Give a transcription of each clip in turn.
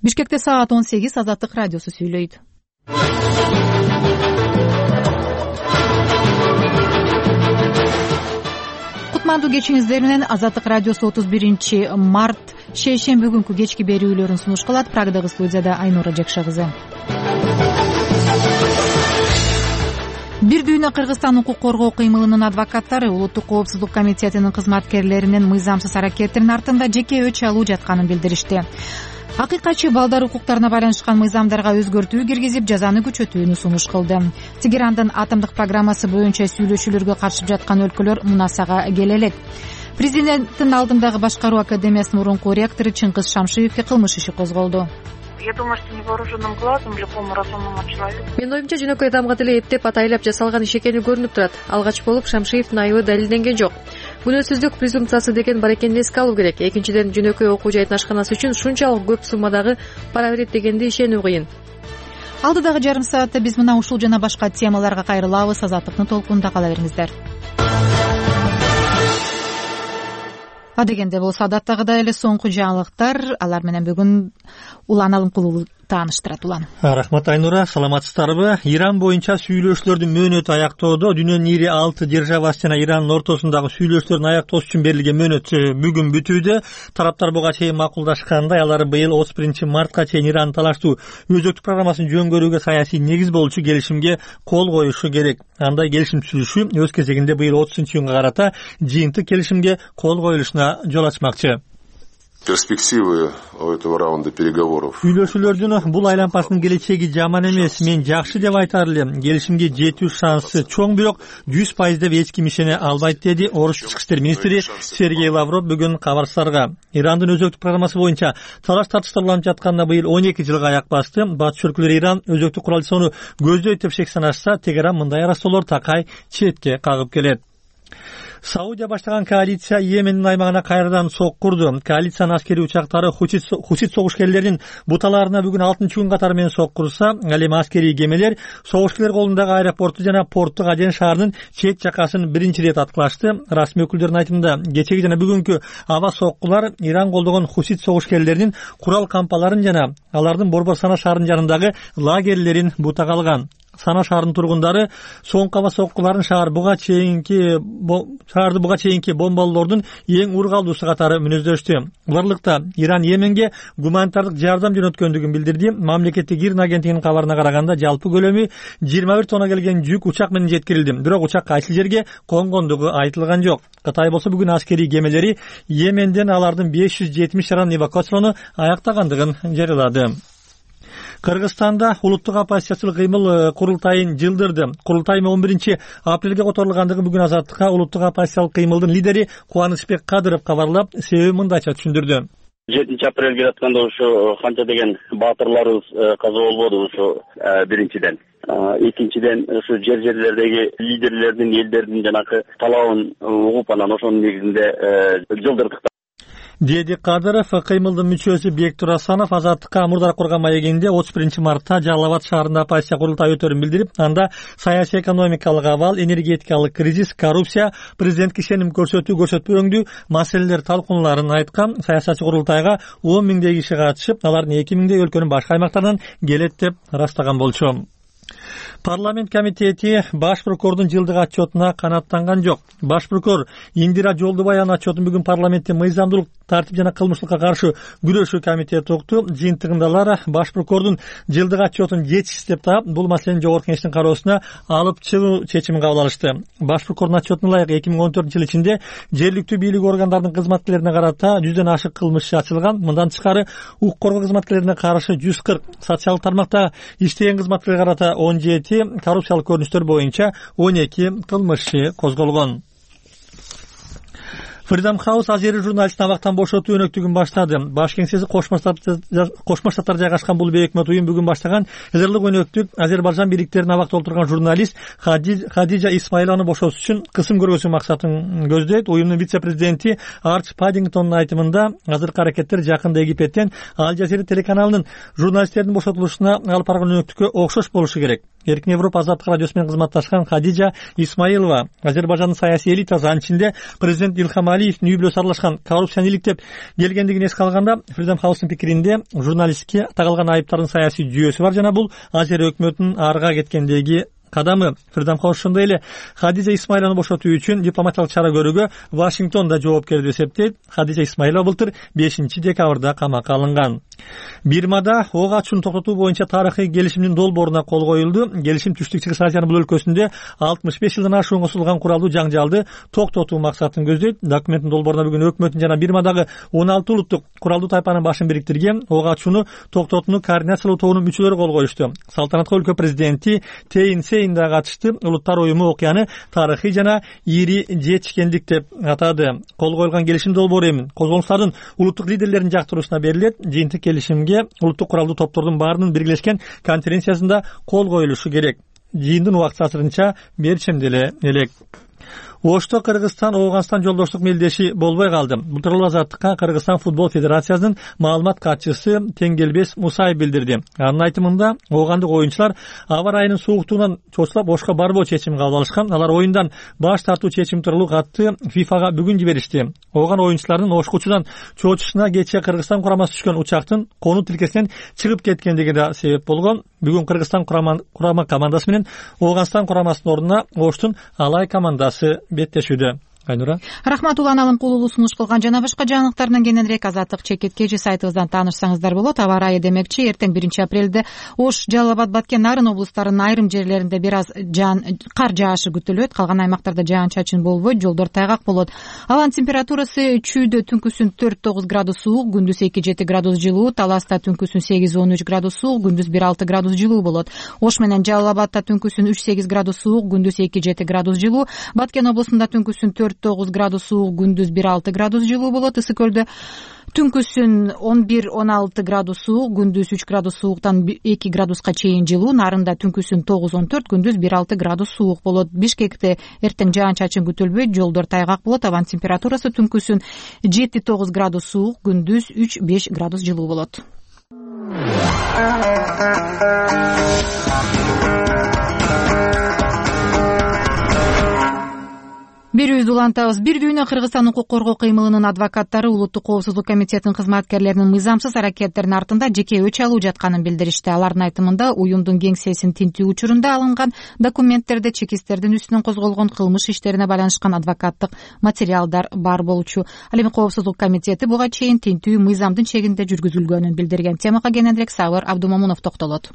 Бишкекте саат 18 Азаттык радиосу сүйлөйт. Кутмандуу кечиңиздер менен Азаттык радиосу 31-март шейшемби күнкү кечки берүүлөрүн сунуш кылат. Прагдагы студияда Айнура Жекша кызы. Бир дүйнө Кыргызстан укук коргоо кыймылынын адвокаттары Улуттук коопсуздук комитетинин кызматкерлеринин мыйзамсыз аракеттеринин артында жеке өч алуу жатканын билдиришти. Акыйкатчы балдар укуктарына байланышкан мыйзамдарга өзгөртүү киргизип, жазаны күчөтүүнү сунуш кылды. Тегерандын атомдук программасы боюнча сүйлөшүүлөргө катышып жаткан өлкөлөр мунасага келе элек. Президенттин алдындагы башкаруу академиясынын мурунку ректору Чыңгыз Шамшиевке кылмыш иши козголду. Я думаю, что невооруженным глазом любому разумному человеку. Менин оюмча жөнөкөй адамга деле эптеп атайлап жасалган иш экени көрүнүп турат. Алгач болуп Шамшиевдин айыбы далилденген жок. Күнөөсүздүк презумпциясы деген бар экенин эске алуу керек. Экинчиден, жөнөкөй окуу жайдын ашканасы үчүн шунчалык көп суммадагы пара берет дегенди ишенүү кыйын. Алдыдагы жарым саатта биз мына ушул жана башка темаларга кайрылабыз. Азаттыктын толкунунда кала бериңиздер. Адегенде болсо адаттагыдай эле соңку жаңылыктар, алар менен бүгүн Улан Алымкулуу тааныштырат. Улан. Рахмат Айнура, саламатсыздарбы? Иран боюнча сүйлөшүүлөрдүн мөөнөтү аяктоодо. Дүйнөнүн ири 6 державасы жана Ирандын ортосундагы сүйлөшүүлөрдүн аяктоосу үчүн берилген мөөнөт бүгүн бүтүүдө. Тараптар буга чейин макулдашкандай, алар быйыл 31-мартка чейин Ирандын талаштуу өзөктүк программасын жөнгөрүүгө саясий негиз болчу келишимге кол коюшу керек. Андай келишим түзүлүшү өз кезегинде быйыл 30-июнга карата жыйынтык келишимге кол коюлушуна жол ачмакчы. Перспективы этого раунда переговоров. Сүйлөшүүлөрдүн бул айланпасынын келечеги жаман эмес, мен жакшы деп айтар элем. Келишимге жетүү шансы чоң, бирок 100% деп эч ким ишене албайт, деди Орус ички иштер министри Сергей Лавров бүгүн кабарчыларга. Ирандын өзөктүк программасы боюнча талаш тартыштар уланып жатканына быйыл 12 жылга аяк басты. Батыш өлкөлөр Иран өзөктүк курал жасоону көздөйт деп шек санашса, Тегеран мындай арастоолор такай четке кагып келет. Саудия баштаган коалиция Йемендин аймагына кайрадан сок курду. Коалициянын аскерий учактары хусит согушкерлеринин буталарына бүгүн 6-күн катары менен сок курса, ал эми аскерий кемелер согушкерлер колундагы аэропорту жана порттук Аден шаарынын чет жакасын биринчи ирет аткылашты. Расмий өкүлдөрдүн айтымында, кечеги жана бүгүнкү аба соккулар Иран колдогон хусит согушкерлеринин курал кампаларын жана алардын Борбор Сана шаарынын жанындагы лагерлерин бутага алган. Сана шаарынын тургундары соңку аба соккуларын шаарды буга чейинки бомбалоордун эң ургалуусу катары мүнөздөштү. Барлыкта Иран Йеменге гуманитардык жардам жөнөткөндүгүн билдирди. Мамлекеттик Ирн агенттигинин кабарына караганда жалпы көлөмү 21 тонна келген жүк учак менен жеткирилди. Бирок учак кайсы жерге конгондугу айтылган жок. Кытай болсо бүгүн аскерий кемелери Йеменден алардын 570 шаранын эвакуациялоону аяктагандыгын жарыялады. Кыргызстанда улуттук оппозициялык кыймыл курултайын жылдырды. Курултай 11-апрелге которулгандыгы бүгүн Азаттыкка улуттук оппозициялык кыймылдын лидери Кубанычбек Кадыров кабарлап, себеби мындайча түшүндүрдү. 7-апрелге жатканда ушу канча деген баатырларыбыз каза болбоду ушу биринчиден. Экинчиден ушу жерлердеги лидерлердин, элдердин жанакы талабын угуп, анан ошонун негизинде жылдырдык, деди Кадыров. Кыймылдын мүчөсү Бектур Асанов Азаттыкка мурдары курган маегинде 31-мартта Жалал Абад шаарында оппозиция курултай өтөрүн билдирип, анда саясий экономикалык абал, энергетикалык кризис, коррупция, президентке ишеним көрсөтүү маселелер талкууларын айткан. Саясатчы курултайга 10 миңдей киши катышып, алардын 2 миңдей өлкөнүн башка аймактарынан келет деп ырастаган болчу. Парламент комитети баш прокурордун жылдык отчетуна канааттанган жок. Баш прокурор Индира Жолдубаеванын отчетун бүгүн парламенттин мыйзамдуулук, тартип жана кылмыштыкка каршы күрөшүү комитети укту. Жыйынтыгында алар баш прокурордун жылдык отчетун жетишсиз деп таап, бул маселени жогорку кеңештин кароосуна алып чыгуу чечимин кабыл алышты. Баш прокурордун отчетуна ылайык 2014 ичинде жергиликтүү бийлик органдарынын кызматкерлерине карата 100дөн ашык кылмыш иши ачылган. Мындан тышкары укук коргоо кызматкерлерине каршы 140, социалдык тармакта иштеген кызматкерлерге карата 17, коррупциялык көрүнүштөр боюнча 12 кылмыш иши козголгон. Freedom House азери журналистин абактан бошотуу өнөктүгүн баштады. Баш кеңсеси Кошмо Штаттарда жайгашкан бул бейөкмөт уюм бүгүн баштаган эзерлик өнөктүк Азербайжан бийликтерин абакта отурган журналист Хадижа Исмаилованы бошотуу үчүн кысым көргөзүү максатын көздөйт. Уюмдун вице-президенти Арч Паддингтондун айтымында, азыркы аракеттер жакында Египтен Аль Жазира телеканалынын журналисттердин бошотулушуна алып барган өнөктүккө окшош болушу керек. Эркин Европа азаттык радиосу менен кызматташкан Хадижа Исмаилова Азербайжандын саясий элитасы, анын ичинде президент Илхам Алиевдин үй бүлөсү аралашкан коррупцияны иликтеп келгендигин эске алганда, Freedom House'дун пикиринде журналистке тагылган айыптардын саясий жүйөсү бар жана бул Азер өкмөтүнүн арга кеткендеги кадамы. Freedom House ошондой эле Хадижа Исмаилованы бошотуу үчүн дипломатиялык чара көрүүгө Вашингтонда жоопкер деп эсептейт. Хадижа Исмаилова былтыр 5-декабрда камакка алынган. Бирмада ок ачууну токтотуу боюнча тарыхый келишимдин долбооруна кол коюлду. Келишим Түштүк-Чыгыш Азиянын бул өлкөсүндө 65 жылдан ашуунга созулган куралдуу жаңжалды токтотуу максатын көздөйт. Документтин долбооруна бүгүн өкмөттүн жана Бирмадагы 16 улуттук куралдуу тайпанын башын бириктирген ок ачууну токтотууну координациялоо тобунун мүчөлөрү кол коюшту. Салтанатка өлкө президенти Тейин Сейн да катышты. Улуттар уюму окуяны тарыхый жана ири жетишкендик деп атады. Кол коюлган келишим долбоору эми козголуңуштардын улуттук лидерлеринин жактыруусуна берилет. Жыйынтык келишимге улуттук куралдуу топтордун баарынын биргелешкен конференциясында кол коюлушу керек. Жыйындын убакыты азырынча берчемде элек. Ошто Кыргызстан Ооганстан жолдоштук мелдеши болбой калды. Бул тууралуу Азаттыкка Кыргызстан футбол федерациясынын маалымат катчысы Теңгелбес Мусаев билдирди. Анын айтымында, оогандык оюнчулар аба ырайынын сууктугунан чочулап ошко барбоо чечимин кабыл алышкан. Алар оюндан баш тартуу чечими тууралуу катты ФИФАга бүгүн жиберишти. Ооган оюнчуларынын ошкучудан чочушуна кечээ Кыргызстан курамасы түшкөн учактын конуу тилкесинен чыгып кеткендиги да себеп болгон. Бүгүн Кыргызстан курама командасы менен Ооганстан курамасынын ордуна Оштун Алай командасы беттешүүдө. Айнура. Рахмат, Улан Алымкулуу сунуш кылган жана башка жаңылыктардан кененирээк Азаттык чекиткечи сайтыбыздан таанышсаңыздар болот. Аба ырайы демекчи, эртең 1-апрелде Ош, Жалал Абад, Баткен, Нарын облустарынын айрым жерлеринде бир аз кар жаашы күтүлөт. Калган аймактарда жаан-чачын болбойт, жолдор тайгак болот. Абанын температурасы чүйдө түнкүсүн 4-9 градус суук, күндүз 2-7 градус жылуу, Таласта түнкүсүн 8-13 градус суук, күндүз 1-6 градус жылуу болот. Ош менен Жалал Абадта түнкүсүн 3-8 градус суук, күндүз 2-7 градус жылуу, Баткен облусунда түнкүсүн 4-9 градус суук, күндүз 1-6 градус жылуу болот. Ысык көлдө түнкүсүн 11-16 градус суук, күндүз 3 градус сууктан 2 градуска чейин жылуу, Нарында түнкүсүн 9-14, күндүз 1-6 градус суук болот. Бишкекте эртең жаан-чачын күтүлбөйт, жолдор тайгак болот. Абанын температурасы түнкүсүн 7-9 градус суук, күндүз 3-5 градус жылуу болот. Берүүбүздү улантабыз. Бир дүйнө Кыргызстан укук коргоо кыймылынын адвокаттары Улуттук коопсуздук комитетинин кызматкерлеринин мыйзамсыз аракеттеринин артында жеке өч алуу жатканын билдиришти. Алардын айтымында, уюмдун кеңсесин тинтүү учурунда алынган документтерде чекистердин үстүнөн козголгон кылмыш иштерине байланышкан адвокаттык материалдар бар болчу. Ал эми коопсуздук комитети буга чейин тинтүү мыйзамдын чегинде жүргүзүлгөнүн билдирген. Темага кененирээк Сабыр Абдумомунов токтолот.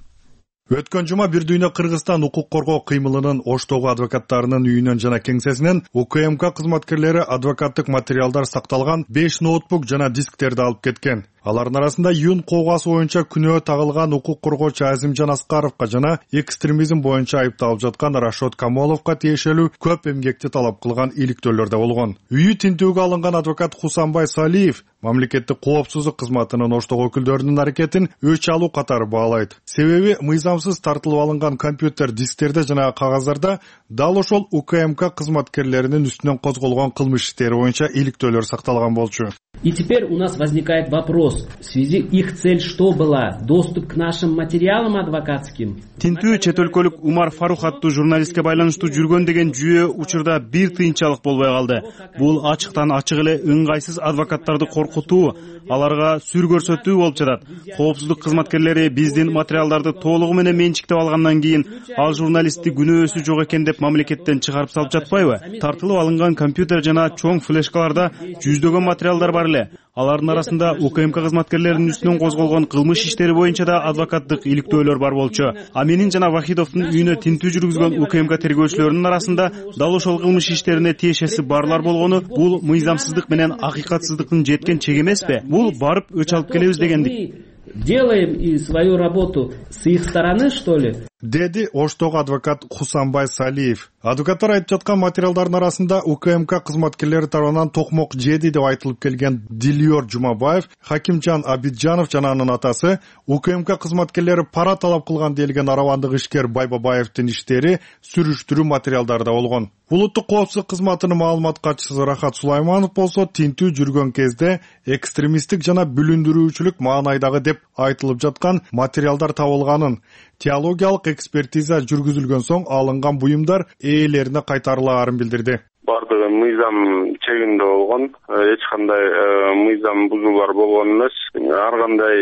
Өткөн жума бир дүйнө Кыргызстан укук коргоо кыймылынын Оштогу адвокаттарынын үйүнөн жана кеңсесинен УКМК кызматкерлери адвокаттык материалдар сакталган 5 ноутбук жана дисктерди алып кеткен. Алардын арасында Юн коогасы боюнча күнөө тагылган укук коргоочу Азимжан Аскаровго жана экстремизм боюнча айыпталып жаткан Рашод Камоловго тиешелүү көп эмгекти талап кылган иликтөөлөр да болгон. Үйү тинтүүгө алынган адвокат Хусанбай Салиев мамлекеттик коопсуздук кызматынын Оштогу өкүлдөрүнүн аракетин өч алуу катары баалайт. Себеби мыйзамсыз тартылып алынган компьютер дисктерде жана кагаздарда дал ошол УКМК кызматкерлеринин үстүнөн козголгон кылмыш иштери боюнча иликтөөлөр сакталган болчу. И теперь у нас возникает вопрос, в связи их цель что была? Доступ к нашим материалам адвокатским? Тинтүү чет өлкөлүк Умар Фарух аттуу журналистке байланыштуу жүргөн деген жүйө учурда бир тыйынчалык болбой калды. Бул ачыктан ачык эле ыңгайсыз адвокаттарды коркутуу, аларга сүр көрсөтүү болуп жатат. Коопсуздук кызматкерлери биздин материалдарды толугу менен менчиктеп алгандан кийин ал журналистти күнөөсү жок экен деп мамлекеттен чыгарып салып жатпайбы? Тартылып алынган компьютер жана чоң флешкаларда жүздөгөн материалдар бар эле. Алардын арасында УКМК кызматкерлеринин үстүнөн козголгон кылмыш иштери боюнча да адвокаттык иликтөөлөр бар болчу. А менин жана Вахидовдун үйүнө тинтүү жүргүзгөн УКМК тергөөчүлөрүнүн арасында дал ошол кылмыш иштерине тиешеси барлар болгону бул мыйзамсыздык менен акыйкатсыздыктын жеткен чеги эмеспи? Бул барып өч алып келебиз дегендик. Делаем и свою работу с их стороны, что ли? Деди Оштогу адвокат Хусанбай Салиев. Адвокаттар айтып жаткан материалдардын арасында УКМК кызматкерлери тарабынан токмок жеди деп айтылып келген Дилиор Жумабаев, Хакимжан Абиджанов жана анын атасы, УКМК кызматкерлери пара талап кылган делген арабандык ишкер Байбабаевдин иштери сүрүштүрүү материалдарда болгон. Улуттук коопсуздук кызматынын маалымат катчысы Рахат Сулайманов болсо тинтүү жүргөн кезде экстремисттик жана бүлүндүрүүчүлүк маанайдагы деп айтылып жаткан материалдар табылганын, теологиялык экспертиза жүргүзүлгөн соң алынган буюмдар ээлерине кайтарылаарын билдирди. Бардыгы мыйзам чегинде болгон, эч кандай мыйзам бузуулар болгон эмес. Ар кандай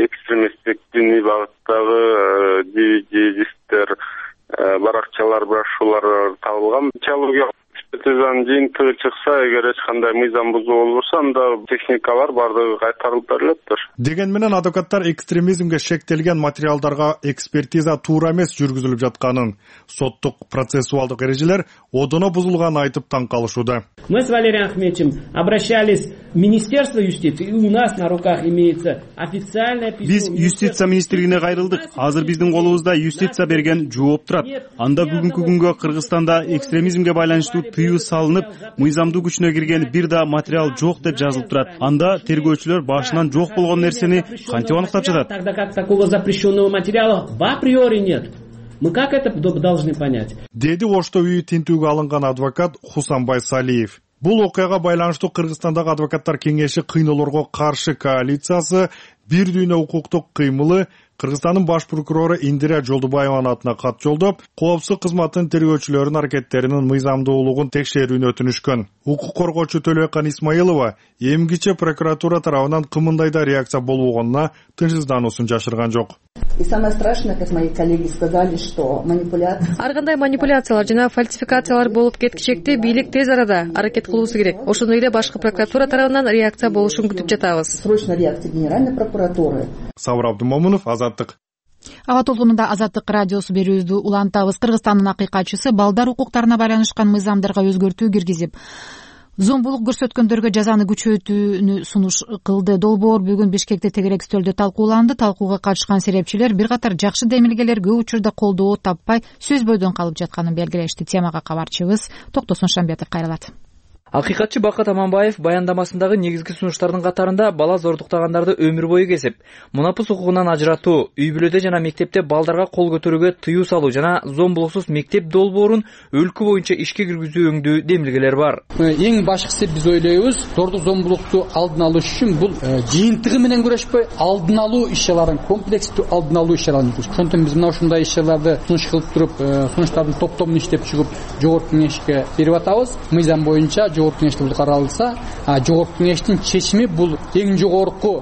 экстремисттик диний багыттагы дисктер, баракчалар, брошюралар табылган. Теологиялык экспертизанын жыйынтыгы чыкса, эгер эч кандай мыйзам бузуу болбосо, анда техникалар бардыгы кайтарылып берилеттир. Деген менен адвокаттар экстремизмге шектелген материалдарга экспертиза туура эмес жүргүзүлүп жатканын, соттук процессуалдык эрежелер одоно бузулганын айтып таң калышууда. Мы с Валерием Ахметовичем обращались в Министерство юстиции, и у нас на руках имеется официальное письмо. Биз юстиция министрлигине кайрылдык. Азыр биздин колубузда юстиция берген жооп турат. Анда бүгүнкү күнгө Кыргызстанда экстремизмге байланыштуу тыюу салынып, мыйзамдуу күчүнө кирген бир да материал жок деп жазылып турат. Анда тергөөчүлөр башынан жок болгон нерсени кантип аныктап жатат? Тогда как такого запрещенного материала в априори нет. Мы как это должны понять? Деди Ошто үйү тинтүүгө алынган адвокат Хусанбай Салиев. Бул окуяга байланыштуу Кыргызстандагы адвокаттар кеңеши кыйноолорго каршы коалициясы бир дүйнө укуктук кыймылы Кыргызстандын баш прокурору Индира Жолдубаеванын атына кат жолдоп, коопсуздук кызматынын тергөөчүлөрүнүн аракеттеринин мыйзамдуулугун текшерүүнү өтүнүшкөн. Укук коргоочу Төлөкан Исмаилова эмгиче прокуратура тарабынан кымындай да реакция болбогонуна тынчсыздануусун жашырган жок. И самое страшное, как мои коллеги сказали, что манипуляция. Ар кандай манипуляциялар жана фальсификациялар болуп кеткичекти бийлик тез арада аракет кылуусу керек. Ошондой эле башкы прокуратура тарабынан реакция болушун күтүп жатабыз. Срочная реакция Генеральной прокуратуры. Сабыр Абдумомунов, Азаттык. Аба толкунунда Азаттык радиосу берүүбүздү улантабыз. Кыргызстандын акыйкатчысы балдар укуктарына байланышкан мыйзамдарга өзгөртүү киргизип, зомбулук көрсөткөндөргө жазаны күчөтүүнү сунуш кылды. Долбоор бүгүн Бишкекте тегерек стөлдө талкууланды. Талкууга катышкан серепчилер бир катар жакшы демилгелер көп учурда колдоо таппай сөз бойдон калып жатканын белгилешти. Темага кабарчыбыз Токтосун Шамбетов кайрылат. Акыйкатчы Бакыт Аманбаев баяндамасындагы негизги сунуштардын катарында бала зордуктагандарды өмүр бою кесип, мунапыс укугунан ажыратуу, үй бүлөдө жана мектепте балдарга кол көтөрүүгө тыюу салуу жана зомбулуксуз мектеп долбоорун өлкө боюнча ишке киргизүү өңдүү демилгелер бар. Эң башкысы биз ойлойбуз, зордук зомбулукту алдын алуу үчүн бул жыйынтыгы менен күрөшпөй, алдын алуу иш-чараларын, комплекстүү алдын алуу иш-чараларын жүргүзүш. Ошондон биз мына ушундай иш-чараларды сунуш кылып туруп, сунуштардын топтомун иштеп чыгып, жогорку кеңешке берип атабыз. Мыйзам боюнча жогорку кеңеште бул каралса, жогорку кеңештин чечими бул эң жогорку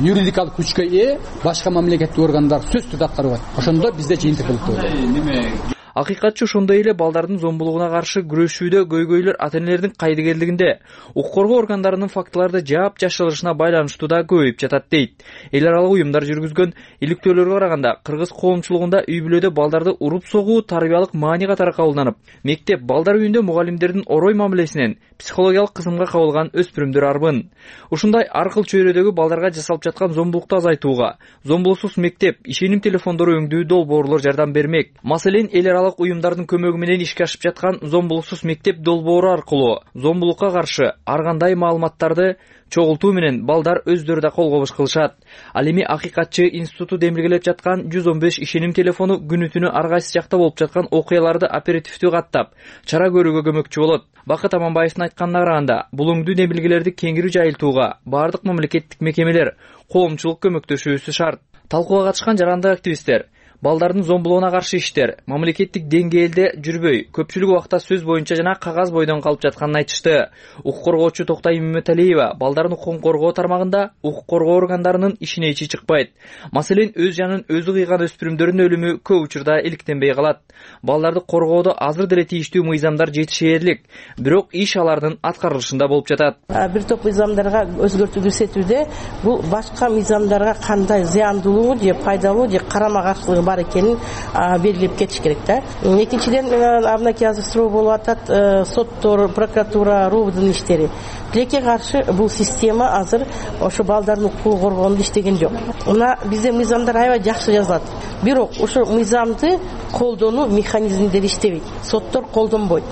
юридикалык күчкө ээ башка мамлекеттик органдар сөзсүз түрдө аткарбайт. Ошондо бизде жыйынтык болот. Акыйкатчы ошондой эле балдардын зомбулугуна каршы күрөшүүдө көйгөйлөр ата-энелердин кайдыгерлигинде, укук коргоо органдарынын фактыларды жаап жашырышына байланыштуу да көбөйүп жатат дейт. Эл аралык уюмдар жүргүзгөн иликтөөлөргө караганда кыргыз коомчулугунда үй бүлөдө балдарды уруп согуу тарбиялык маани катары кабылданып, мектеп, балдар үйүндө мугалимдердин орой мамилесинен психологиялык кысымга кабылган өспүрүмдөр арбын. Ушундай ар кыл чөйрөдөгү балдарга жасалып жаткан зомбулукту азайтууга, зомбулуксуз мектеп, ишеним телефондору өңдүү долбоорлор жардам бермек. Маселен, эл аралык уюмдардын көмөгү менен ишке ашып жаткан зомбулуксуз мектеп долбоору аркылуу зомбулукка каршы ар кандай маалыматтарды чогултуу менен балдар өздөрү да кол кобуш кылышат. Ал эми акыйкатчы институту демилгелеп жаткан 115 ишеним телефону күнү түнү ар кайсы жакта болуп жаткан окуяларды оперативдүү каттап, чара көрүүгө көмөкчү болот. Бакыт Аманбаевдин айтканына караганда, бул өңдүү демилгелерди кеңири жайылтууга бардык мамлекеттик мекемелер, коомчулук көмөктөшүүсү шарт. Талкууга катышкан жарандык активисттер балдардын зомбулугуна каршы иштер мамлекеттик деңгээлде жүрбөй, көпчүлүк убакта сөз боюнча жана кагаз бойдон калып жатканын айтышты. Укук коргоочу Токтай Мөмөталиева балдардын укугун коргоо тармагында укук коргоо органдарынын ишине ичи чыкпайт. Маселен, өз жанын өзү кыйган өспүрүмдөрдүн өлүмү көп учурда иликтенбей калат. Балдарды коргоодо азыр деле тийиштүү мыйзамдар жетишээрлик, бирок иш алардын аткарылышында болуп жатат. Бир топ мыйзамдарга өзгөртүү киргизүүдө бул башка мыйзамдарга кандай зыяндуулугу же пайдалуу же карама каршылыгы бар экенин белгилеп кетиш керек да. Экинчиден, абнакей азыр суроо болуп атат, соттор, прокуратура, РУБдун иштери. Тилекке каршы бул система азыр ошо балдардын укугун коргоонду иштеген жок. Мына бизде мыйзамдар аябай жакшы жазылат. Бирок ошо мыйзамды колдонуу механизмдери иштебейт. Соттор колдонбойт.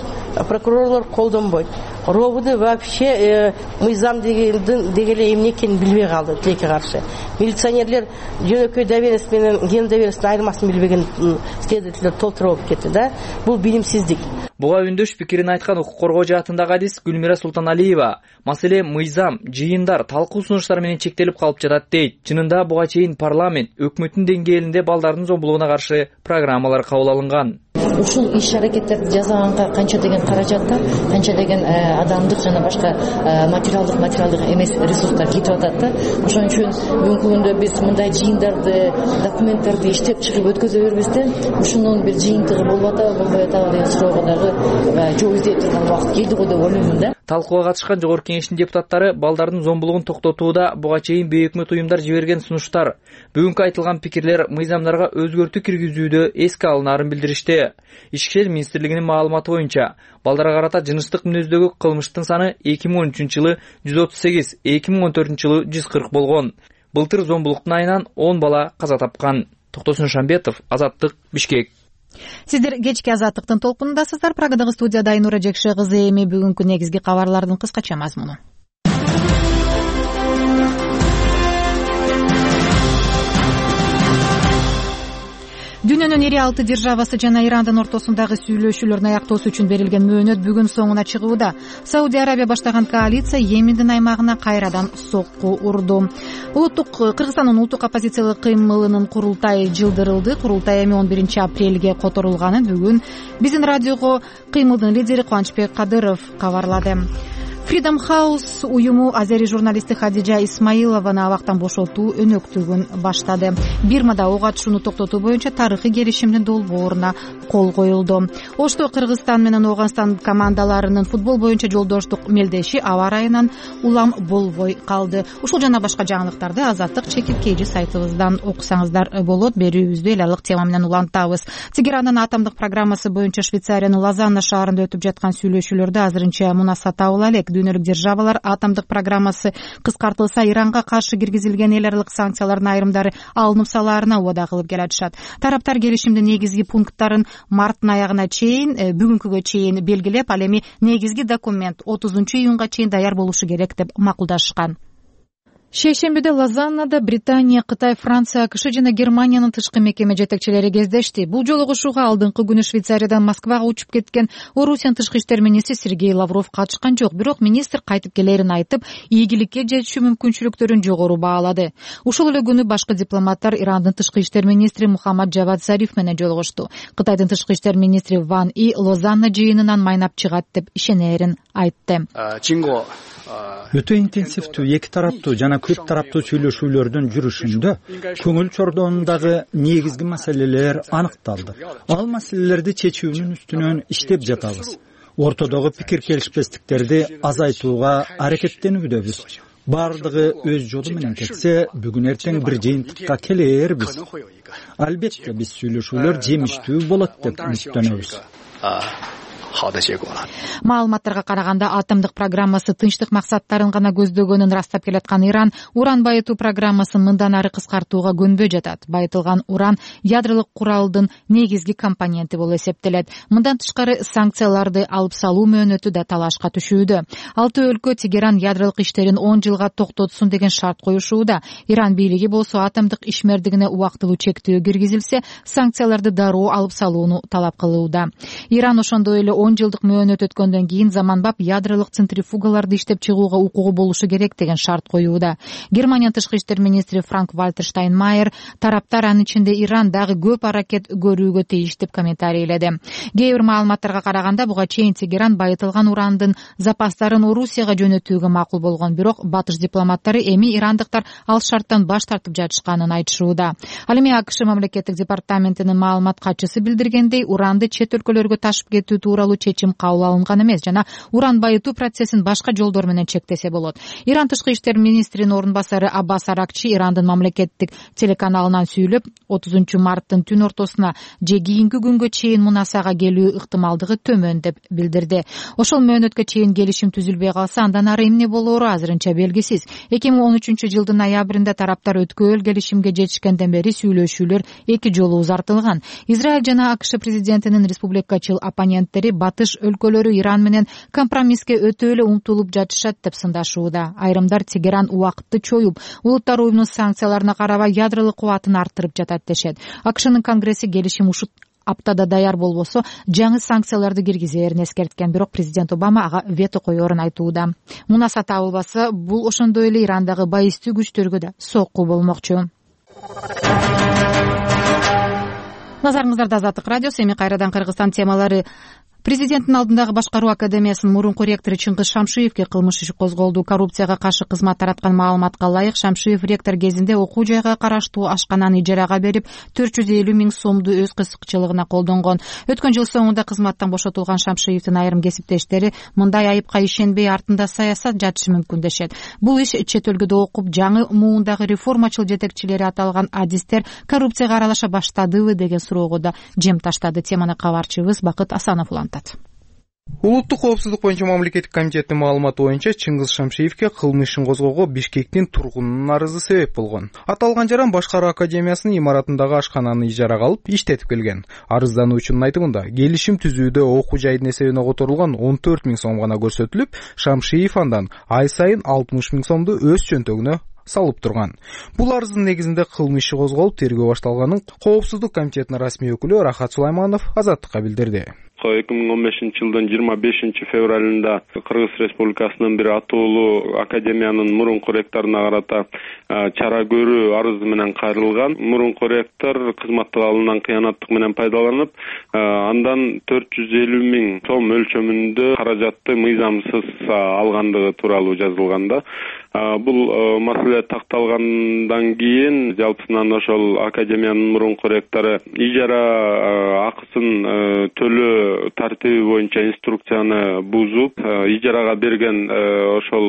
прокурорлор колдонбойт. РОВД вообще мыйзам деге эле эмне экенин билбей калды тилекке каршы. Милиционерлер жөнөкөй доверенность менен ген доверенностьтун айырмасын билбеген следовательдер толтуруп кетти да. Бул билимсиздик. Буга үндөш пикирин айткан укук коргоо жаатындагы адис Гүлмира Султаналиева маселе мыйзам, жыйындар, талкуу сунуштар менен чектелип калып жатат дейт. Чынында буга чейин парламент, өкмөттүн деңгээлинде балдардын зомбулугуна каршы программалар кабыл алынган. Ушул иш-аракеттерди жасаганга канча деген каражаттар, канча деген адамдык жана башка материалдык эмес ресурстар кетип атат да. Ошон үчүн бүгүнкү күндө биз мындай жыйындарды, документтерди иштеп чыгып өткөзө бербестен, ушунун бир жыйынтыгы болуп атабы, болбой атабы деген суроого дагы жол издей турган убакыт келди го деп ойлоймун да. Талкууга катышкан жогорку кеңештин депутаттары балдардын зомбулугун токтотууда буга чейин бейөкмөт уюмдар жиберген сунуштар, бүгүнкү айтылган пикирлер мыйзамдарга өзгөртүү киргизүүдө эске алынаарын билдиришти. Ички ишler министрлигинин маалыматы боюнча, балдарга карата жыныстык мүнөздөгү кылмыштын саны 2013 жылы 138, 2014 жылы 140 болгон. Былтыр зомбулуктун айынан 10 бала каза тапкан. Токтосун Шамбетов, Азаттык, Бишкек. Сиздер кечки Азаттыктын толкунундасыздар. Прагадагы студияда Айнура Жекше кызы. Эми бүгүнкү негизги кабарлардын кыскача мазмуну. Дүйнөнүн ири 6 державасы жана Ирандын ортосундагы сүйлөшүүлөрүн аяктоосу үчүн берилген мөөнөт бүгүн соңуна чыгууда. Сауди Арабия баштаган коалиция Йемендин аймагына кайрадан сокку урду. Кыргызстандын улуттук оппозициялык кыймылынын курултайы жылдырылды. Курултай эми 11 апрелге которулганын бүгүн биздин радиого кыймылдын лидери Кубанычбек Кадыров кабарлады. Freedom House уюму азери журналисти Хадижа Исмаилованы абактан бошотуу өнөктүгүн баштады. Бирмада ок атышууну токтотуу боюнча тарыхый келишимдин долбооруна кол коюлду. Ошто Кыргызстан менен Ооганстан командаларынын футбол боюнча жолдоштук мелдеши аба ырайынан улам болбой калды. Ушул жана башка жаңылыктарды Азаттык чекиркейчи сайтыбыздан окусаңыздар болот. Берүүбүздү эл алык тема менен улантабыз. Тегерандын атомдук программасы боюнча Швейцариянын Лозанна шаарында өтүп жаткан сүйлөшүүлөрдө азырынча мунаса табыла элек. Дүйнөлүк державалар атомдук программасы кыскартылса Иранга каршы киргизилген эл аралык санкциялардын айрымдары алынып салаарына убада кылып келатышат. Тараптар келишимдин негизги пункттарын марттын аягына чейин, бүгүнкүгө чейин белгилеп, ал эми негизги документ 30-июнга чейин даяр болушу керек деп макулдашкан. Шейшембиде Лозаннада Британия, Кытай, Франция, АКШ жана Германиянын тышкы мекеме жетекчилери кездешти. Бул жолугушууга алдыңкы күнү Швейцариядан Москвага учуп кеткен Орусиянын тышкы иштер министри Сергей Лавров катышкан жок. Бирок министр кайтып келерин айтып, ийгиликке жетишүү мүмкүнчүлүктөрүн жогору баалады. Ушул эле күнү башкы дипломаттар Ирандын тышкы иштер министри Мухаммад Джавад Зариф менен жолугушту. Кытайдын тышкы иштер министри Ван И Лозанна жыйынынан майнап чыгат деп ишенерин айтты. Өтө интенсивдүү эки тараптуу жана көп тараптуу сүйлөшүүлөрдүн жүрүшүндө көңүл чордоондагы негизги маселелер аныкталды. Ал маселелерди чечүүнүн үстүнөн иштеп жатабыз. Ортодогу пикир келишпестиктерди азайтууга аракеттенүүдөбүз. Бардыгы өз жолу менен кетсе, бүгүн эртең бир жыйынтыкка келербиз. Албетте биз сүйлөшүүлөр жемиштүү болот деп үмүттөнөбүз. Маалыматтарга караганда атомдук программасы тынчтык максаттарын гана көздөгөнүн ырастап келаткан Иран уран байытуу программасын мындан ары кыскартууга көнбөй жатат. Байытылган уран ядролук куралдын негизги компоненти болуп эсептелет. Мындан тышкары санкцияларды алып салуу мөөнөтү да талашка түшүүдө. 6 өлкө Тегеран ядролук иштерин 10 жылга токтотсун деген шарт коюшууда. Иран бийлиги болсо атомдук ишмердигине убактылуу чектөө киргизилсе, санкцияларды дароо алып салууну талап кылууда. Иран ошондой эле 10 жылдык мөөнөт өткөндөн кийин заманбап ядролук центрифугаларды иштеп чыгууга укугу болушу керек деген шарт коюуда. Германиянын тышкы иштер министри Франк-Вальтер Штайнмайер тараптар анын ичинде Иран дагы көп аракет көрүүгө тийиш деп комментарийледи. Кээ бир маалыматтарга караганда буга чейин Тегеран байытылган урандын запастарын Орусияга жөнөтүүгө макул болгон, бирок батыш дипломаттары эми ирандыктар ал шарттан баш тартып жатышканын айтышууда. Ал эми АКШ мамлекеттик департаментинин маалымат катчысы билдиргендей, уранды чет өлкөлөргө ташып кетүү тууралуу чечим кабыл алынган эмес жана уран байытуу процессин башка жолдор менен чектесе болот. Иран тышкы иштер министринин орун басары Аббас Аракчи Ирандын мамлекеттик телеканалынан сүйлөп, 30 марттын түн ортосуна же кийинки күнгө чейин мунасага келүү ыктымалдыгы төмөн деп билдирди. Ошол мөөнөткө чейин келишим түзүлбөй калса, андан ары эмне болоору азырынча белгисиз. 2013 жылдын ноябрында тараптар өткөөл келишимге жетишкенден бери сүйлөшүүлөр 2 жолу узартылган. Израиль жана АКШ президентинин республикачыл оппоненттери батыш өлкөлөрү Иран менен компромисске өтө эле умтулуп жатышат деп сындашууда. Айрымдар Тегеран убакытты чоюп, Улуттар уюмунун санкцияларына карабай ядролук кубатын арттырып жатат дешет. АКШнын конгресси келишим ушул аптада даяр болбосо жаңы санкцияларды киргизерин эскерткен, бирок президент Обама ага вето коерун айтууда. Мунаса табылбаса, бул ошондой эле Ирандагы байыстуу күчтөргө да сокку болмокчу. Назарыңыздарда Азаттык радиосу. Эми кайрадан Кыргызстан темалары. Президенттин алдындагы башкаруу академиясынын мурунку ректору Чыңгыз Шамшиевке кылмыш иши козголду. Коррупцияга каршы кызмат тараткан маалыматка ылайык, Шамшиев ректор кезинде окуу жайга караштуу ашкананы ижарага берип, 450 000 сомду өз кызыкчылыгына колдонгон. Өткөн жыл соңунда кызматтан бошотулган Шамшиевдин айрым кесиптештери мындай айыпка ишенбей, артында саясат жатышы мүмкүн дешет. Бул иш чет өлкөдө окуп, жаңы муундагы реформачыл жетекчилери аталган адистер коррупцияга аралаша баштадыбы деген суроого да жем таштады. Теманы кабарчыбыз Бакыт Асанов улантат. Улуттук коопсуздук боюнча мамлекеттик комитеттин маалыматы боюнча Чыңгыз Шамшиевке кылмыш ишин козгоого Бишкектин тургунунун арызы себеп болгон. Аталган жаран башкаруу академиясынын имаратындагы ашкананы ижарага алып иштетип келген. Арыздануучунун айтымында, келишим түзүүдө окуу жайдын эсебине которулган 14 000 сом гана көрсөтүлүп, Шамшиев андан ай сайын 60 000 сомду өз чөнтөгүнө салып турган. Бул арыздын негизинде кылмыш иши козголуп, тергөө башталганын Коопсуздук комитетинин расмий өкүлү Рахат Сулайманов Азаттыкка билдирди. 2015 жылдын 25 февралында Кыргыз Республикасынын бир атуулуу академиянын мурунку ректоруна карата чара көрүү арызы менен кайрылган. Мурунку ректор кызматтык алымынан кыянаттык менен пайдаланып, андан 450 000 сом өлчөмүндө каражатты мыйзамсыз алгандыгы тууралуу жазылганда, бул маселе такталгандан кийин жалпысынан ошол академиянын мурунку ректору ижара акысын төлөө тартиби боюнча инструкцияны бузуп, ижарага берген ошол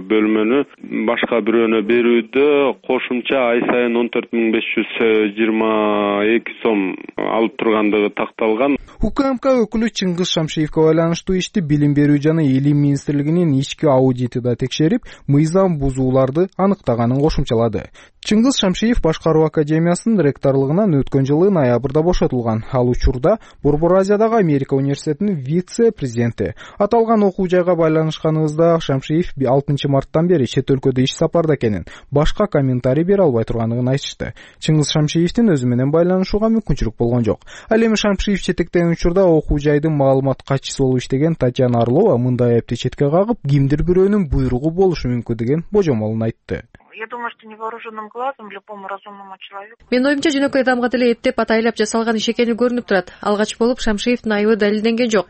бөлмөнү башка бирөөнө берүүдө кошумча ай сайын 14 522 сом алып тургандыгы такталган. УКМК өкүлү Чыңгыз Шамшиевке байланыштуу ишти Билим берүү жана Илим министрлигинин ички аудити да текшерип, мыйзам бузууларды аныктаганын кошумчалады. Чыңгыз Шамшиев башкаруу академиясынын ректорлугунан өткөн жылы ноябрда бошотулган. Ал учурда Борбор Азиядагы Америка университетинин вице-президенти. Аталган окуу жайга байланышканыбызда Шамшиев 6 марттан бери чет өлкөдө иш сапарда экенин, башка комментарий бере албай тургандыгын айтышты. Чыңгыз Шамшиевдин өзү менен байланышууга мүмкүнчүлүк болгон жок. Ал эми Шамшиев четектеген учурда окуу жайдын маалымат катчысы болуп иштеген Татьяна Орлова мындай айыпты четке кагып, кимдир бирөөнүн буйругу болушу мүмкүн деген божомолун айтты. Я думаю, что невооруженным глазом любому разумному человеку. Менин оюмча жөнөкөй адамга деле эптеп атайлап жасалган иш экени көрүнүп турат. Алгач болуп Шамшиевдин айыбы далилденген жок.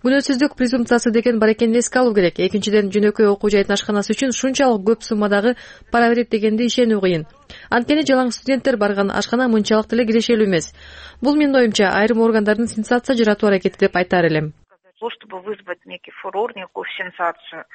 Күнөөсүздүк презумпциясы деген бар экенин эске алуу керек. Экинчиден, жөнөкөй окуу жайдын ашканасы үчүн шунчалык көп суммадагы пара берет дегенди ишенүү кыйын. Анткени жалаң студенттер барган ашкана мынчалык деле кирешелүү эмес. Бул менин оюмча айрым органдардын сенсация жаратуу аракети деп айтар элем. Чтобы вызвать некий фурор, некую сенсацию.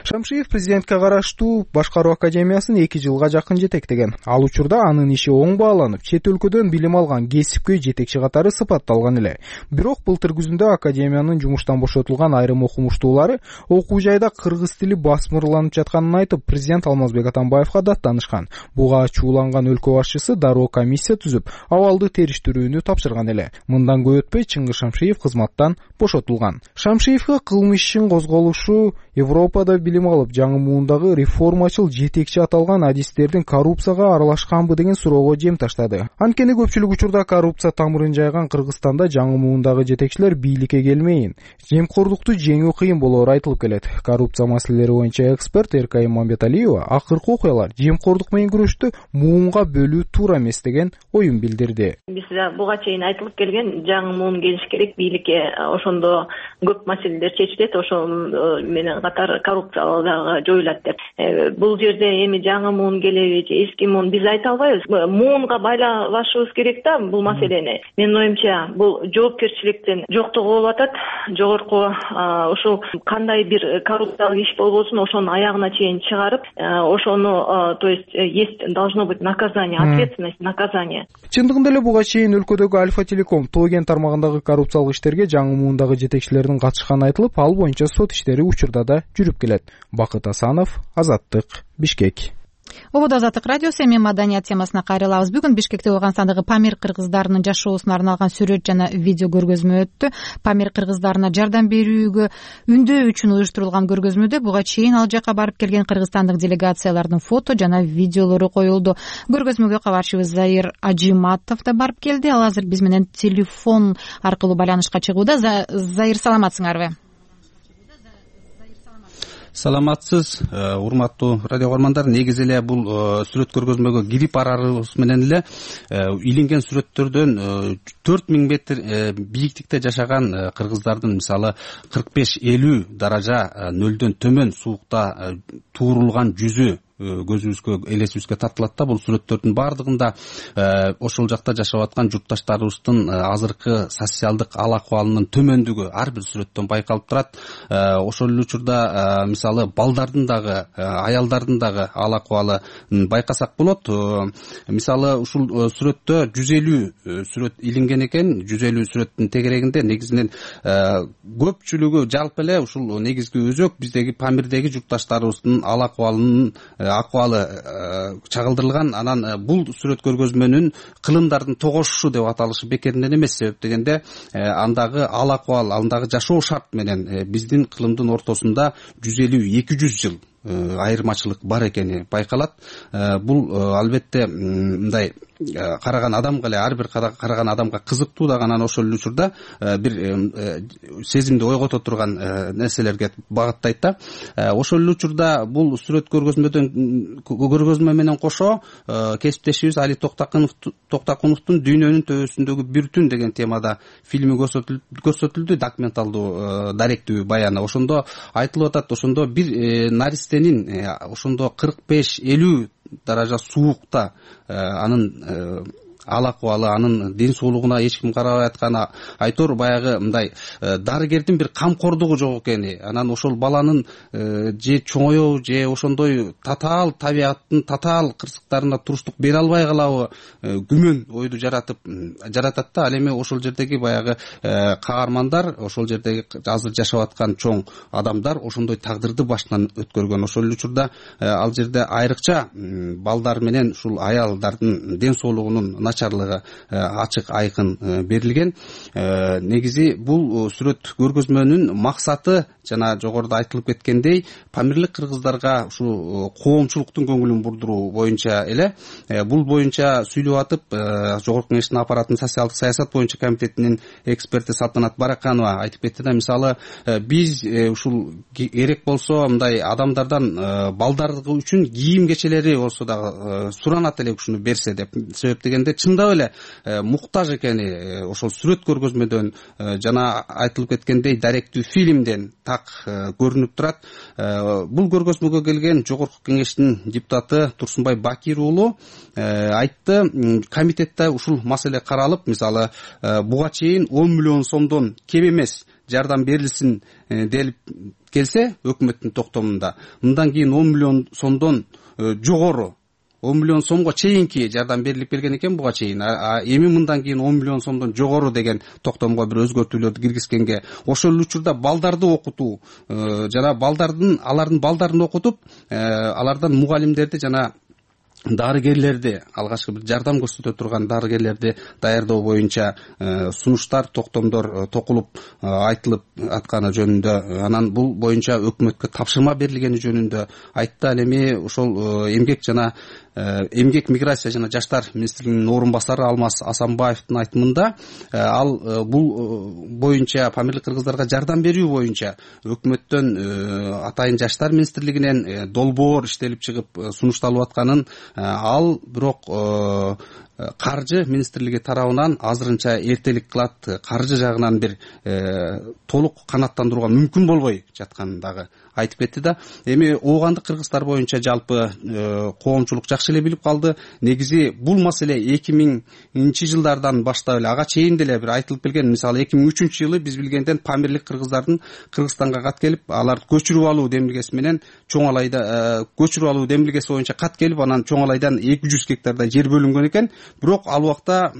Шамшиев президентке караштуу башкаруу академиясын 2 жылга жакын жетектеген. Ал учурда анын иши оң бааланып, чет өлкөдөн билим алган кесипкөй жетекчи катары сыпатталган эле. Бирок былтыр күзүндө академиянын жумуштан бошотулган айрым окумуштуулары окуу жайда кыргыз тили басмырланып жатканын айтып, президент Алмазбек Атамбаевга даттанышкан. Буга ачууланган өлкө башчысы дароо комиссия түзүп, абалды териштирүүнү тапшырган эле. Мындан көп өтпөй Чыңгыз Шамшиев кызматтан бошотулган. Шамшиевге кылмыш ишин козголушу Европада билим алып, жаңы муундагы реформачыл жетекчи аталган адистердин коррупцияга аралашканбы деген суроого жем таштады. Анткени көпчүлүк учурда коррупция тамырын жайган Кыргызстанда жаңы муундагы жетекчилер бийликке келмейин, жемкорлукту жеңүү кыйын болоору айтылып келет. Коррупция маселелери боюнча эксперт Эркай Мамбеталиева акыркы окуялар жемкорлук менен күрөштү муунга бөлүү туура эмес деген оюн билдирди. Биз буга чейин айтылып келген жаңы муун келиш керек, бийликке ошондо көп маселелер чечилет, ошол менен катар коррупция дагы жоюлат деп. Бул жерде эми жаңы муун келеби же эски муун биз айта албайбыз. Муунга байлабашыбыз керек да бул маселени. Менин оюмча бул жоопкерчиликтин жоктугу болуп атат. Жогорку ушул кандай бир коррупциялык иш болбосун ошонун аягына чейин чыгарып, ошону, то есть есть должно быть наказание, ответственность, наказание. Чындыгында эле буга чейин өлкөдөгү Альфа Телеком Тоген тармагындагы коррупциялык иштерге жаңы муундагы жетекчилердин катышканы айтылып, ал боюнча сот иштери учурда да жүрүп келет. Бакыт Асанов, Азаттык, Бишкек. ободо азаттык радиосу, эми маданият темасына кайрылабыз. Бүгүн Бишкекте Ооганстандагы Памир кыргыздарынын жашоосуна арналган сүрөт жана видео көргөзмө өттү. Памир кыргыздарына жардам берүүгө үндөө үчүн уюштурулган көргөзмөдө буга чейин ал жака барып келген кыргызстандык делегациялардын фото жана видеолору коюлду. Көргөзмөгө кабарчыбыз Заир Ажиматов да барып келди. Ал азыр биз менен телефон аркылуу байланышка чыгууда. Заир, саламатсыңарбы? Саламатсыз, урматтуу радио көрөрмандар. Негизи эле бул сүрөт көргөзмөгө кирип барарыбыз менен эле илинген сүрөттөрдөн 4000 метр бийиктикте жашаган кыргыздардын мисалы 45-50 даража нөлдөн төмөн суукта туурулган жүзү көзүбүзгө, элесибизге тартылат да. Бул сүрөттөрдүн баардыгында ошол жакта жашап аткан журтташтарыбыздын азыркы социалдык ал акыбалынын төмөндүгү ар бир сүрөттөн байкалып турат. Ошол эле учурда мисалы балдардын дагы, аялдардын дагы ал акыбалын байкасак болот. Мисалы ушул сүрөттө 150 сүрөт илинген экен. 150 сүрөттүн тегерегинде негизинен көпчүлүгү жалпы эле ушул негизги өзөк биздеги Памирдеги журтташтарыбыздын ал акыбалынын акыбалы чагылдырылган. Анан бул сүрөт көргөзмөнүн кылымдардын тогошушу деп аталышы бекеринен эмес. Себеп дегенде андагы ал акыбал, андагы жашоо шарт менен биздин кылымдын ортосунда 150-200 жыл айырмачылык бар экени байкалат. Бул албетте мындай караган адамга эле, ар бир караган адамга кызыктуу дагы. Анан ошол эле учурда бир сезимди ойгото турган нерселерге багыттайт да. Ошол эле учурда бул сүрөт көргөзмө менен кошо кесиптешибиз Али Токтакуновдун Дүйнөнүн төбөсүндөгү бир түн деген темада фильми көрсөтүлдү, документалдуу даректүү баяны. Ошондо айтылып атат, ошондо бир наристенин ошондо 45-50 даража суукта анын ал акыбалы, анын ден соолугуна эч ким карабай атканы айтор, баягы мындай дарыгердин бир камкордугу жок экени. Анан ошол баланын же чоңоебу, же ошондой татаал табияттын татаал кырсыктарына туруштук бере албай калабы, күмөн ойду жаратат да. Ал эми ошол жердеги баягы каармандар, ошол жердеги азыр жашап аткан чоң адамдар ошондой тагдырды башынан өткөргөн. Ошол эле учурда ал жерде айрыкча балдар менен ушул аялдардын ден соолугунун начарлыгы ачык айкын берилген. Негизи бул сүрөт көргөзмөнүн максаты жана жогоруда айтылып кеткендей памирлик кыргыздарга ушу коомчулуктун көңүлүн бурдуруу боюнча эле. Бул боюнча сүйлөп атып Жогорку Кеңештин аппараттын социалдык саясат боюнча комитетинин эксперти Салтанат Бараканова айтып кетти да. Мисалы биз ушул керек болсо мындай адамдардан балдарды үчүн кийим кечелери болсо дагы суранат элек ушуну берсе деп. Себеп дегенде чындап эле муктаж экени ошол сүрөт көргөзмөдөн жана айтылып кеткендей даректүү фильмден так көрүнүп турат. Бул көргөзмөгө келген Жогорку Кеңештин депутаты Турсунбай Бакир уулу айтты, комитетте ушул маселе каралып, мисалы буга чейин 10 миллион сомдон кем эмес жардам берилсин делип келсе өкмөттүн токтомунда, мындан кийин 10 миллион сомдон жогору 10 миллион сомго чейинки жардам берилип келген экен буга чейин. Эми мындан кийин 10 миллион сомдон жогору деген токтомго бир өзгөртүүлөрдү киргизгенге, ошол учурда балдарды окутуу жана алардын балдарын окутуп, алардан мугалимдерди жана дарыгерлерди, алгачкы бир жардам көрсөтө турган дарыгерлерди даярдоо боюнча сунуштар, токтомдор токулуп айтылып атканы жөнүндө, анан бул боюнча өкмөткө тапшырма берилгени жөнүндө айтты. Ал эми ошол эмгек миграция жана жаштар министрлигинин орун басары Алмаз Асанбаевдин айтымында ал бул боюнча памирлик кыргыздарга жардам берүү боюнча өкмөттөн атайын жаштар министрлигинен долбоор иштелип чыгып сунушталып атканын, ал бирок каржы министрлиги тарабынан азырынча эртелик кылат, каржы жагынан бир толук канааттандырууга мүмкүн болбой жатканын дагы айтып кетти да. Эми оогандык кыргыздар боюнча жалпы коомчулук жакшы эле билип калды. Негизи бул маселе 2000 жылдардан баштап эле ага чейин деле бир айтылып келген. Мисалы 2003 жылы биз билгенден памирлик кыргыздардын Кыргызстанга кат келип, алар көчүрүп алуу демилгеси менен Чоң Алайда көчүрүп алуу демилгеси боюнча кат келип, анан Чоң Алайдан 200 гектардай жер бөлүнгөн экен. Бирок ал убакта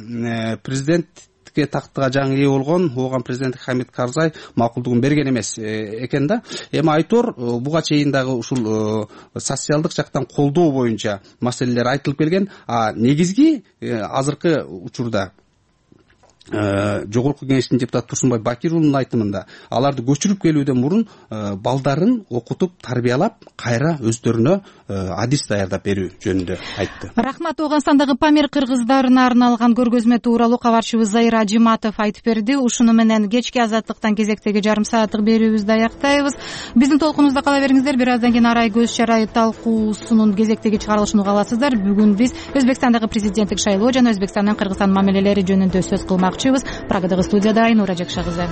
президент президенттикке тактыга жаңы ээ болгон ооган президент Хамид Карзай макулдугун берген эмес экен да. Эми айтор буга чейин дагы ушул социалдык жактан колдоо боюнча маселелер айтылып келген. Негизги азыркы учурда Жогорку Кеңештин депутаты Турсунбай Бакир уулунун айтымында аларды көчүрүп келүүдөн мурун балдарын окутуп, тарбиялап, кайра өздөрүнө адис даярдап берүү жөнүндө айтты. Рахмат. Оогунстандагы Памир кыргыздарына арналган көргөзмө тууралуу кабарчыбыз Заир Ажиматов айтып берди. Ушуну менен кечки азаттыктан кезектеги жарым сааттык берүүбүздү аяктайбыз. Биздин толкунубузда кала бериңиздер. Бир аздан кийин Арай көз чарай талкуусунун кезектеги чыгарылышын уга аласыздар. Бүгүн биз Өзбекстандагы президенттик шайлоо жана Өзбекстан менен Кыргызстан мамилелери жөнүндө сөз кылмакчыбыз. Прагадагы студияда Айнура Жакшагызы.